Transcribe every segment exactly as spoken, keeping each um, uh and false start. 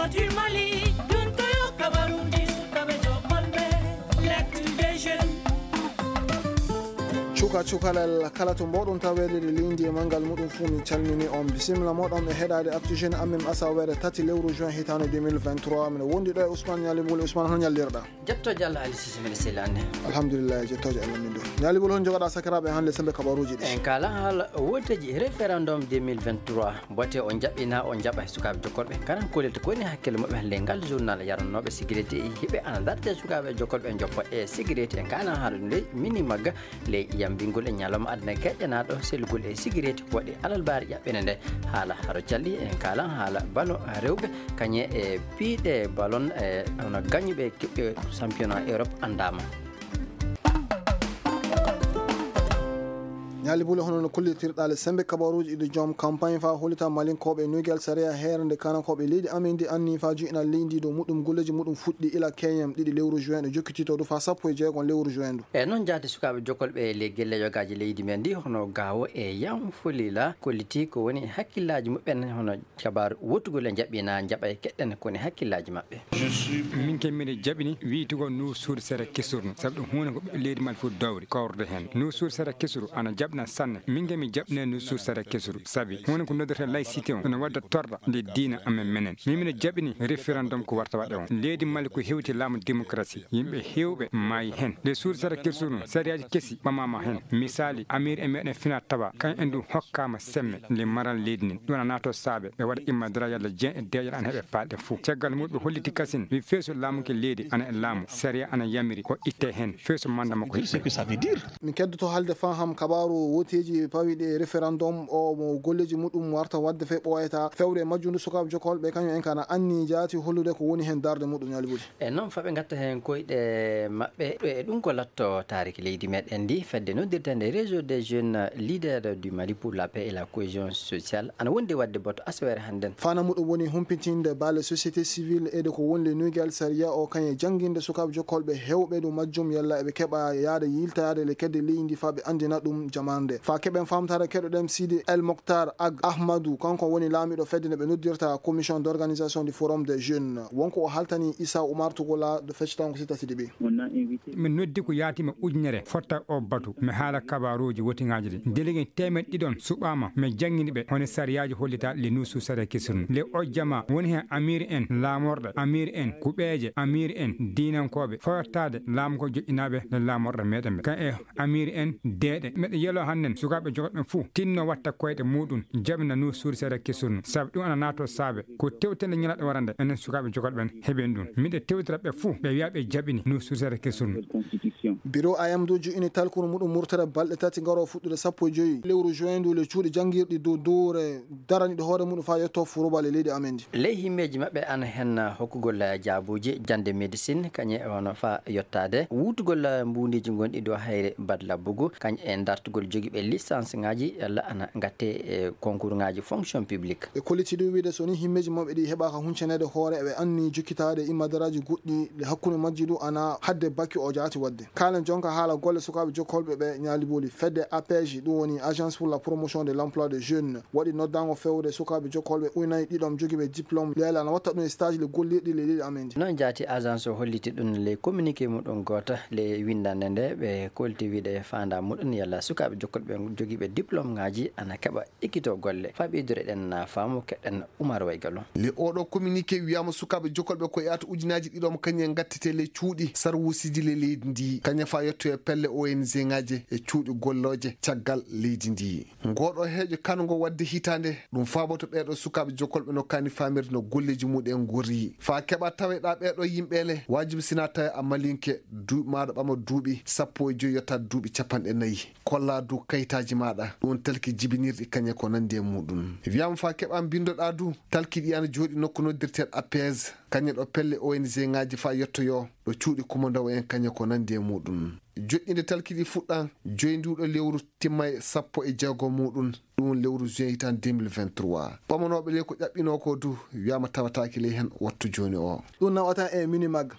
Du Mali, ɗun ko yo kabaruuji sukaaɓe jokolɓe, l'actu des jeunes. Cuka cukalel kala to mboɗon taweede ɗi leydi e manngal muɗum fuu, min calmini on. Bisimilla moɗon e heɗaade Actu Jeune amen asaweere tati lewru juin hitaande deux mille vingt-trois. Miɗo wondi ɗo e Ousmane Ñaali Buli. Ousmane, hono ñallirɗaa? Jettooje Allah, Ali Sisi, miɗo selli, an ne? Alhamdulillahi, jettooje Allah min ɗo. Ñaali Buli, hono njogaɗaa sakiraaɓe hannde sembe kabaruuji ɗi? En kaalan haala wooteeji référendum deux mille vingt-trois. Mbote o jaɓɓinaa, o jaɓa e sukaaɓe jokkorɓe. Karan koolel to ko woni hakkille maɓɓe hannde ngal journal yaranooɓe sigireti e hiɓe ana dartee sukaaɓe jokkorɓe joppa e sigireti. En kaalan haala ɗum ley mini magga ley yambingol e ñalawma aduna keƴƴanaaɗo sellugol e sigireti ko waɗi alalbaari ƴaɓɓene nde. Haala haro calli en kaalan haala ballon rewɓe kañe e piiɗe ballon e hono gañuɓe keɓɓe championnat Europe anndaama. Ñaali Buli, hono no kollitirɗaa le sembe kabaruuji ɗi joom campagne faa hollita Malinkooɓe nuygal sariya heere nde kaanankooɓe leydi amen ndi anni faa juɓɓina leydi ndi dow muɗum golleeji muɗum fuɗɗi ila keñen ɗiɗi lewru juin ɗo jokkititoo du faa sappo e jeegom lewru juin ndu. E noon jaati sukaaɓe jokkolɓe ley gelle yogaaji leydi men ndi hono Gaawo e Yanfolila kolliti ko woni hakkillaaji muɓɓen hono kabaaru wottugol e jaɓɓina jaɓa e keɗɗen ko woni hakkillaaji maɓɓe. Min ke miɗo jaɓini wi'itugol nuu suudu sere kesurno, sabu ɗum huunde ko ɓiɓɓe leydi Mali fof dowri kawrude heen. Nuu suudu sere kesuru ana jaɓna sanne. Min ke mi jaɓne nuu suudu sere kesuru, sabi huunde ko noddirtee laïcité on, ene wadda torra nde diina amen menen. Min miɗo jaɓini référendum ko warta waɗe on. Leydi Mali ko hewti laamu démocratie, yimɓe heewɓe maayi heen. Nde suudu sere kesuru, sariyaaji kesi ɓamaama heen. Misaali, amiir e meɗen fina tawa, kan en ɗum hokkaama semme nde maral leydi ndin. Ɗum ana naatoo saabe ɓe waɗa imma dara yalla jeen e deeƴere ana heɓe paalɗe fof. Caggal mum ɓe holliti kasin, wi feesu laamu ke leydi ana e laamu, sariya ana yamiri ko ittee heen, feesu manda mo ko hiɓɓe. Min keddoto haalde faham kabaaru wooteeji pawiiɗi e référendum o mo golleeji muɗum warta waɗde fee ɓooyata. Fewre majjundu sukaaɓe jokkolɓe kañum en kana anni jaati hollude ko woni heen darnde muɗum, Ñaali Buli. E noon, faa ɓe ngatta heen koyɗe maɓɓe. E ɗum ko latto taariki leydi meɗen ndi, fedde noddirteende Réseau des jeunes leaders du Mali pour la paix et la cohésion sociale, ana wondi waɗde boto asaweere hannden. Fana muɗum woni humpitinde baale société civile e de ko woni le nuygal sariya o, kañe jannginde sukaaɓe jokkolɓe heewɓe dow majjum yalla eɓe keɓa yaade yiltaade le kedde leydi ndi faa ɓe anndina ɗum jamaande. Faa keɓen faamtaare keɗoɗen Sidi El Moktar Ag Ahmadou, kanko woni laamiiɗo fedde nde ɓe noddirta Commission d'organisation du Forum des jeunes. Wonko o haltani Issa Oumar Tougoula do feccitango si tati ɗiɓi. Min noddi ko yaatiima ujunere fotta o batu. Mi haala kabaaruuji wotiŋaaji ɗi. Délégué teemeɗɗe ɗiɗi on suɓaama. Mi janngini ɓe hono sariyaaji hollita le nuusu sariya kesirun. Le o jama woni heen amiir en, laamorɗe, amiir en, kuɓeeje, amiir en, diinankooɓe, fawtaade laamu ko joƴƴinaaɓe le laamorɗe meɗen ɓe. Kan e amiir en deeɗe. Meɗen yeloo hannden sukaaɓe jogotɓe ɓen fuu tinno watta koyɗe muuɗum, jaɓina nuu suudu seeɗa kesun, sabu ɗum ana naatoo saabe ko tewtende ñalaaɗo warande. Enen sukaaɓe jogotɓe ɓen heɓen ɗum. Miɗe tewtira ɓe fuu, ɓe wi'a ɓe jaɓini nuu suudu seeɗa kesun. Biro A M D juɓɓini talkuru muɗum murtere balɗe tati garoo fuɗɗude sappo e joy lewru juin ndu le cuuɗi janngirɗi dow dowre daraniiɗo hoore muɗum faa yottoo furubal e leydi amen ndi. Ley himmeeji maɓɓe ana hen hokkugol jaabuuji jannde médecine, kañe hono faa yottaade wuutugol mbuundiiji ngonɗi dow hayre bad labbugu, kañe e dartugol jogiiɓe licence ŋaaji yalla ana ngattee e concours ŋaaji fonction publique. Ɓe kolliti du wiide so ni himmeeji maɓɓe ɗi heɓaaka huncaneede hoore, eɓe anni jokkitaade immadaraaji goɗɗi, le hakkunde majji du ana hadde bakki o jaati waɗde. Kaalen jonka haala golle sukaaɓe jokkolɓe ɓe ñaali booli. Fedde A P J, ɗum woni Agence pour la Promotion de l'Emploi des Jeunes, waɗi noddaango fewre sukaaɓe jokkolɓe ujunaaji ɗiɗom jogiiɓe diplôme, le yalla ana watta ɗum e stage le gollirɗi le leydi amen ndi. Noon jaati agence o holliti ɗum le communiqué muɗum gooto le winndannde nde ɓe kolti wiide faandaa muɗum yalla sukaaɓe jokkolɓe jogiiɓe diplôme ŋaaji ana keɓa ekkito golle. Faa ɓeydureɗen faamu keɗen Umar Waygalu. Le oɗo communiqué wiyaama sukaaɓe jokkolɓe ko yaata ujunaaji ɗiɗom kañe ngattete le cuuɗi sarwuusiji le leydi ndi. Kañe faa yettoye pelle O N G ŋaaji e cuuɗi gollooje caggal leydi ndi. Ngoɗo heeƴo kango waɗde hitaande, ɗum faaboto ɓeeɗo sukaaɓe jokkolɓe no kaani faamirde no golleeji muɗum en ngorri. Faa keɓa taweɗa ɓeeɗo yimɓe le, waajibi sina tawe a malinke, duuɓi maaɗa ɓama duuɓi sappo e joy yottaade duuɓi capanɗe nayi. Kolla du kayitaaji maaɗa, ɗum talki jibinirɗi kañe ko nanndi e muɗum. Wiyaama faa keɓa mbinndoɗa du, talki ɗi ana jooɗi nokku noddirteeɗo A P S, kañe ɗo pelle O N G ŋaaji faa yettoyoo, ɗo cuuɗi kumandowo en kañe ko nanndi e muɗum. Joƴƴinde talki ɗi fuɗɗan joy nduuɗo lewru, timma e sappo e jeego muɗum, ɗum lewru juin hitaande deux mille vingt-trois. Ɓamanooɓe ley ko ƴaɓɓinoo ko du, wiyaama tawataake ley hen wattu jooni o. Ɗum nawata e Minimag.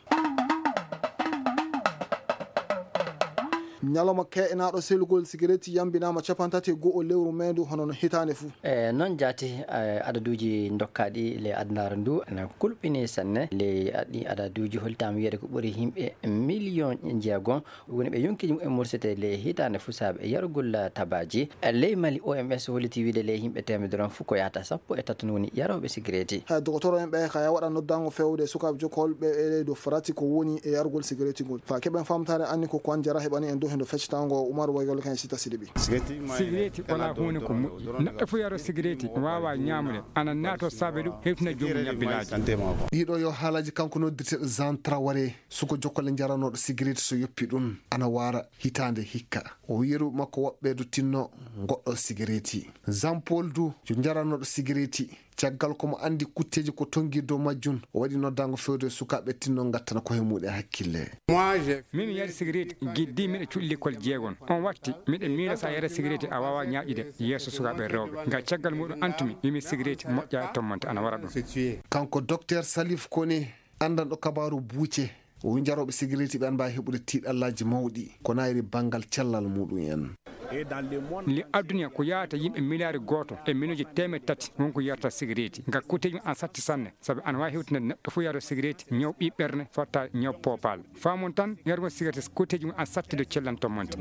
Ñalawma ke'enaaɗo selugol sigareeti yambinaama cappanɗe tati e go'o lewru mee ndu, hono no hitaande fuu. E noon jaati, e adaduuji ndokkaaɗi ley adunaaru ndu ana kulɓinii sanne. Ley ɗii adaduuji hollitaama wiyeede ko ɓuri yimɓe miliyoŋ jeegom woni ɓe yonkiiji mumen mursetee ley hitaande fuu saabe yarugol tabaaji. Ley Mali, O M S hollitii wiide ley yimɓe teemedere on fuu ko yahata sappo e tato woni yarooɓe sigareeti. Hay dogotoro en ɓe kay waɗa noddaango feewde sukaaɓe jokkolɓe e ley dow farati ko woni e yarugol sigareeti ngol. Faa keɓen faamtaare anni ko Kwan Jara heɓani en dow hendo feccitaango Umar Waygol kan e Sita Sidibi. Sigareeti walaa huunde ko moƴƴi. Neɗɗo fof yaroo sigareeti, waawaa ñaamude, ana naatoo saabe ɗum, hewtina joomum ñabbilaaji. Ɗiɗo yo haalaaji kanko noddirteeɗo Jean Traoré, suko jokkole njaranooɗo sigareeti so yoppi ɗum, ana waara hitaande hikka. O yeru makko woɓɓe du tinno ngoɗɗo sigareeti. Jean Paul du yo njaranooɗo sigareeti. Caggal ko mo anndi kutteeji ko tonngi dow majjum, o waɗi noddaango feewde sukaaɓe tinno ngattana koye muɗum hakkille. Min mi yari sigareeti giddi miɗa cuɗi lekkol jeegon. On watti miɗa miila so a yara sigareeti a waawaa ñaaƴude yeeso sukaaɓe rewɓe. Ngal caggal muɗum antumi wimi sigareeti moƴƴa e tommante ana wara ɗum. Kanko Dokteer Salif Kone, anndanɗo kabaaru buuce, o wii njarooɓe sigareeti ɓe ana mbaawi heɓude tiiɗallaaji mawɗi ko naayri banngal cellal muɗum en. Li aduna ko yahata yimɓe miliyaari gooto e miliyoŋji teemeɗɗe tati won ko yarata sigareeti. Ngal kutteeji mum ana satti sanne, sabi ana waawi hewtinde neɗɗo fof yaroo sigareeti, ñaw ɓii ɓerne, fotta ñaw poopal. Faamon tan, yarugol sigareeti kutteeji mum ana satti dow cellal tommante.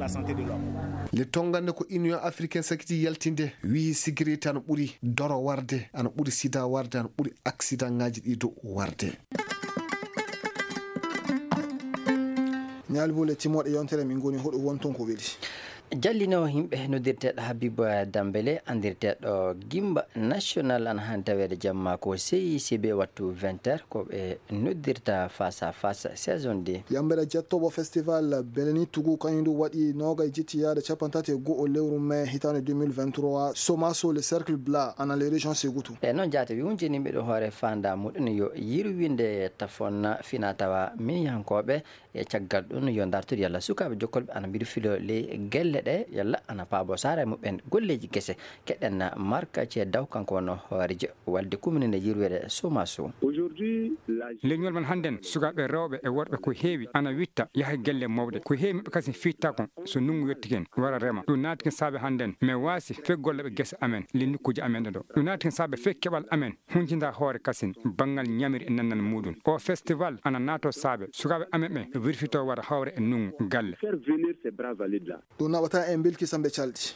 Le tongannde ko Union Africaine sakiti yaltinde, wii sigareeti ana ɓuri doro warde, ana ɓuri sida warde, ana ɓuri aksidaŋaaji ɗi dow warde. Ñaali bule timooɗe yontere min ngoni hoɗo wonton ko weli. Jallinoowo yimɓe noddirteeɗo Habib Dambele, anndirteeɗo Gimba National, ana haani taweede jamma ko C I C B wattu vingt heures, ko ɓe noddirta face à face saison deux. Yambere jettooɓo festival Beleni Tugu kañum du waɗi noogay jetti yaade cappanɗe tati e go'o lewru mee hitaande deux mille vingt-trois, Somaso le Cercle Blanc, ana les régions Segutu. E noon jaate wi wonjini mbiɗo hoore faanda muɗum yo yirwinde tafon fina tawa miniyankooɓe. E caggal ɗum yo ndartude yalla sukaaɓe jokkolɓe ana mbiɗo filo ley gelle ɗe yalla ana paabo saara e muɓɓen golleeji gese. Keɗen Marka Cee Daw, kanko wonno hooreejo walde kummininde yirwere Somaso. Leñol men hannden, sukaaɓe rewɓe e worɓe ko heewi ana witta yaha gelle mawɗe. Ko heewi maɓɓe kasin fitta kon so ndunngu yotti ken wara rema. Ɗum naati ken saabe hannden men waasi fek golle ɓe gese amen, le nokkuuji amen ɗo. Ɗum naati ken saabe fek keɓal amen. Huncinta hoore kasin banngal ñamiri e nannal muɗum. Oo festival ana naatoo saabe sukaaɓe amen ɓe wirfitoo wara hawra e ndunngu galle. Faire venir ces bras valides là. Ɗum naɓata en bilki sambe calɗi.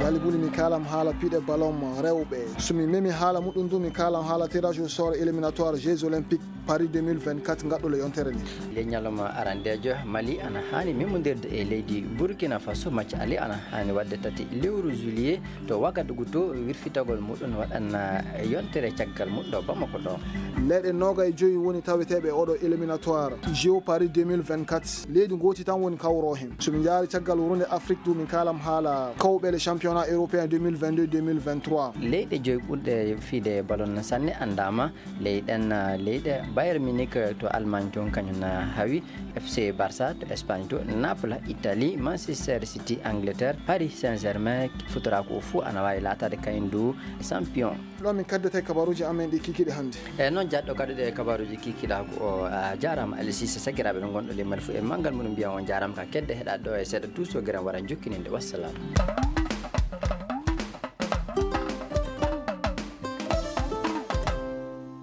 Yaali buli mi kaalam haala piɗe ballon rewɓe. So mi memi haala muɗum du mi kaalam haala tirage au sort éliminatoire Jeux Olympiques Paris deux mille vingt-quatre ngaɗɗo le yontere ni. Le ñalawma arandeejo Mali ana haani memondirde e leydi Burkina Faso. Macca ali ana haani waɗde tati lewru juillet to Wagadugu to wirfitagol muɗum waɗana yontere caggal muɗum ɗo Bamako ɗo. Leyɗe noogay joyi woni taweteeɓe e oɗo éliminatoire Jeux Paris deux mille vingt-quatre. Leydi ngooti tan woni kawroo hen. So min njaari caggal wurnde Afrique du min kaalam haala kawɓe le championnat européen deux mille vingt-deux deux mille vingt-trois. Leyɗe joyi ɓurɗe fiide ballon sanne anndaama. Ley ɗen leyɗe, Bayern Munich to Allemagne toon kañum na hawi, F C Barça to Espagne to, Naples Italie, Manchester City Angleterre, Paris Saint-Germain, futoraako o fuu ana waawi laataade kañum du champion. Ɗo min kaddete kabaruuji amen ɗi kikiiɗe hannde. E noon jaɗɗo kaɗuɗe kabaruuji kikiiɗaagu o, a jaaraama Ali Sise, sakiraaɓe ɓe ngonɗo ley Mali fuu e manngal muɗum mbiya on jaaraama ka kedde heɗaade ɗo e seeɗa tuusoo gere wara jokkininde. Wassalam.